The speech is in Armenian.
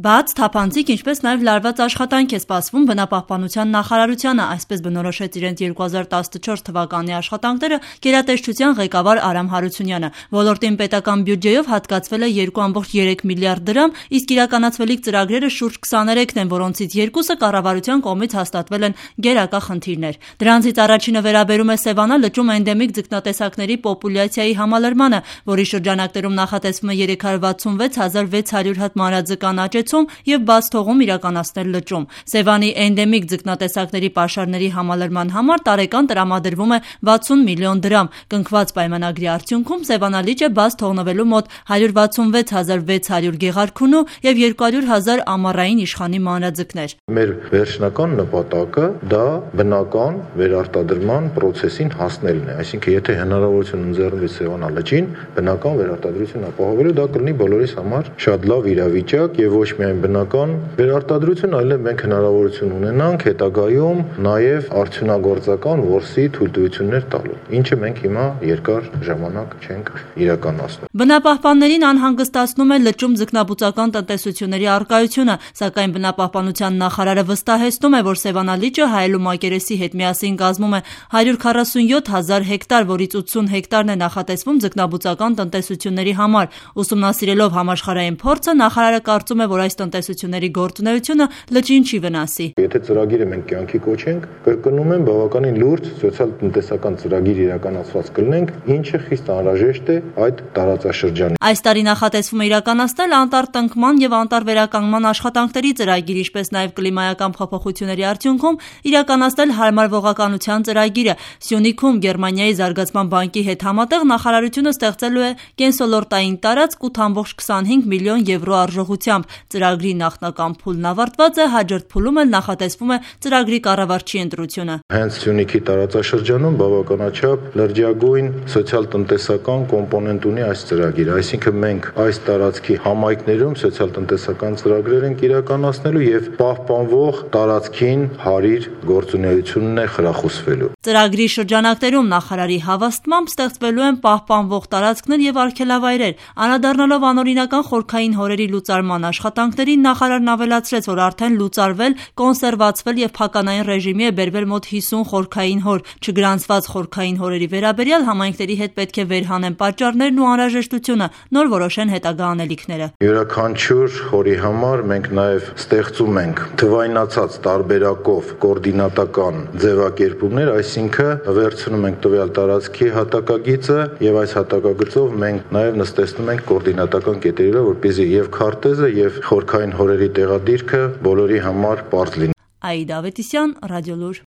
Բաց, թափանցիկ, ինչպես նաև լարված աշխատանք է սպասվում բնապահպանության նախարարությանը, այսպես բնորոշեց իրենց 2014 թվականի աշխատանքները գերատեսչության ղեկավար Արամ Հարությունյանը։ Ոլորտին պետական բյուջեով հատկացվել է 2,3 միլիարդ դրամ, իսկ իրականացվելիք ծրագրերը շուրջ 23-ն են, որոնցից 2-ը կառավարության կողմից հաստատվել են գերակա խնդիրներ։ Դրանցից առաջինը վերաբերում է Սևանա լճում էնդեմիկ ձկնատեսակների պոպուլյացիայի համալրմանը, որի շրջանակներում նախատեսվում է 366,600 հատ մանրաձկան աճեցում և բաց թողում իրականացնել լճում։ Սևանի էնդեմիկ ձկնատեսակների պաշարների համալրման համար տարեկան տրամադրվում է 60 միլիոն դրամ։ Կնքված պայմանագրի արդյունքում Սևանա լիճը բաց թողնվելու մոտ 166,600 գեղարքունու և 200,000 ամառային իշխանի մանրաձկներ։ Մեր վերջնական նպատակը դա բնական վերարտադրման պրոցեսին հասնելն է, այսինքն եթե հնարավորություն ընձեռվի Սևանա լճին բնական վերարտադրություն ապահովելու, դա կլինի բոլորիս համար շատ լավ իրավիճակ եւ ոչ միայն բնական վերարտադրություն, այլև մենք հնարավորություն ունենանք հետագայում նաև արդյունագործական որսի թույլտվություններ տալու, ինչը մենք հիմա երկար ժամանակ չենք իրականացնում։ Բնապահպաններին անհանգստացնում է լճում ձկնաբուծական տնտեսությունների առկայությունը, սակայն բնապահպանության նախարարը վստահեցնում է, որ Սևանա լիճը հայելու մակերեսի հետ միասին կազմում է 147,000 հեկտար, որից 80 հեկտարն է նախատեսվում ձկնաբուծական տնտեսությունների համար։ Ուսումնասիրելով համաշխարհային փորձը, նախարարը կարծում է, որ այս տնտեսությունների գործունեությունը լճին չի վնասի։ Եթե ծրագիրը մենք կյանքի կոչենք, կրկնում եմ, բավականին լուրջ սոցիալ-տնտեսական ծրագիր իրականացված կլինենք, ինչը խիստ անհրաժեշտ է այդ տարածաշրջանին։ Այս տարի նախատեսվում է իրականացնել անտառ-տնկման և անտառ-վերականգնման աշխատանքների ծրագիր, ինչպես նաև կլիմայական փոփոխությունների արդյունքում իրականացնել հարմարվողականության ծրագիրը։ Սյունիքում Գերմանիայի զարգացման բանկի հետ համատեղ նախարարությունը ստեղծելու է կենսոլորտային տարածք 8,25 միլիոն եվրո արժողությամբ։ Ծրագրի նախնական փուլն ավարտված է, հաջորդ փուլում էլ նախատեսվում է ծրագրի կառավարչի ընտրությունը։ Հենց Սյունիքի տարածաշրջանում բավականաչափ լրջագույն սոցիալ-տնտեսական կոմպոնենտ ունի այս ծրագիրը, այսինքն մենք այս տարածքի համայնքներում սոցիալ-տնտեսական ծրագրեր ենք իրականացնելու եւ պահպանվող տարածքին հարիր գործունեությունն է խրախուսվելու։ Ծրագրի շրջանակներում նախարարի հավաստմամբ ստեղծվելու են պահպանվող տարածքներ եւ արգելավայրեր։ Անդրադառնալով անօրինական խորքային հորերի լուծարման աշխատանքներին, նախարարն ավելացրեց, որ արդեն լուծարվել, կոնսերվացվել եւ փականային ռեժիմի է բերվել մոտ 50 խորքային հոր։ Չգրանցված խորքային հորերի վերաբերյալ համայնքների հետ պետք է վերհանեն պատճառներն ու անհրաժեշտությունը, նոր որոշեն հետագա անելիքները։ Յուրաքանչյուր հորի համար մենք նաեւ ստեղծում ենք թվայնացած տարբերակով կոորդինատական ձևակերպումներ, այսինքն վերցնում ենք տվյալ տարածքի հատակագիծը եւ այս հատակագծով մենք նաեւ նստեցնում ենք կոորդինատական կետերի վրա, որպեսզի եւ քարտեզը եւ խորքային հորերի տեղադիրքը բոլորի համար պարզ լինի։ Աիդա Ավետիսյան, Ռադիոլուր։